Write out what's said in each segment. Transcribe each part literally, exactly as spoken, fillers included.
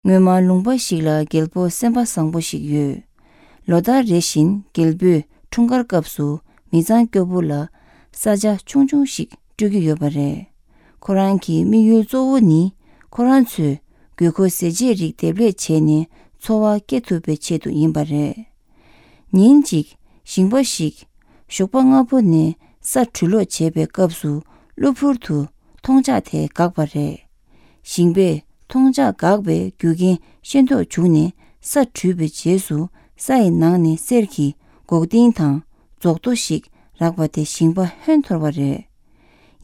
ngöma lungba shikla gelpo sempa sangpo shik yu. Loda reshin gelbu chungar kapsu mizan kyobu la saja chungchung shik tugi yobare. Koran ki mi yul zowu ni Koran tsu gyoko seje rik deble che ni tsowa ketube che tu inbare. Nyin jik shingba shik shokpa ngapu ni sa chulo chebe kapsu lupur tu tongja te kakbare. Shingbe tongja kakbe gyugin shento chugni sa chube jesu sayi nangni serki gogding tang zogdo shik rakba te shingba hentorware.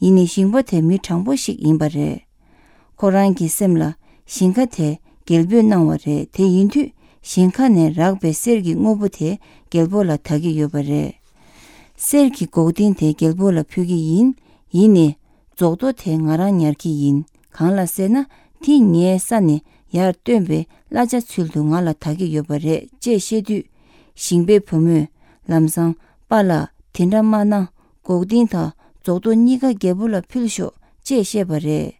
Ini shingba te mi changbo shik inbare. Koran ki semla shingka te gelbyo nangware te yintu shingka ne rakbe serki ngobo te gelbo la tagi yobare. Serki gogding te gelbo la pyugi yin, yini zogdo te ngarang nyarki yin. Kangla sena ti nye sani yar tuenbe laja tsuldu nga la tagi yobare je shedu shingbe pumu lamsang pala tinrama na gogding ta zogdo niga gebo la pilsho je shebare.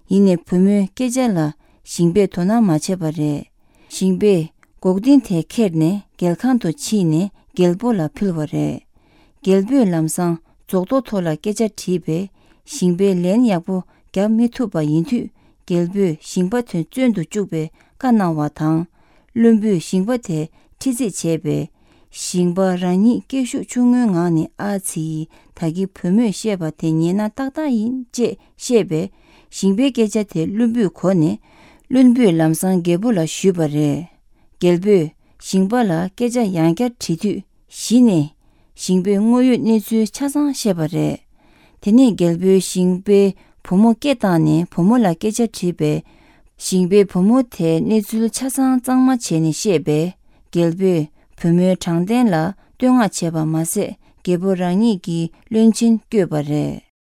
Yine pumu keja la shingbe tona machebare. Shingbe gogding te kerne gelkanto chi ne gelbo la pilware. Gelbo lamsang zogdo tola keja tibe shingbe len yakbo gyab mituba yintu gelbu shingba tun zundu chukbe kana watang lumbu shingba te tizi chebe shingba rani keshu chungu ngani azi tagi pumu sheba te nyena takta yin je shebe shingbe geja te lumbu kone lumbu lamsang gebu la shubare. Gelbu shingba la geja yangya titu shine shingbe ngoyu nizu chasang shebare. Tene gelbu shingbe pomo ketane pomo la kecha tibe shingbe pomo te nizul chasang zangma cheni shebe gelbu pomo changden la tuyonga cheba mase gebo rangi ki lunchin gyobare.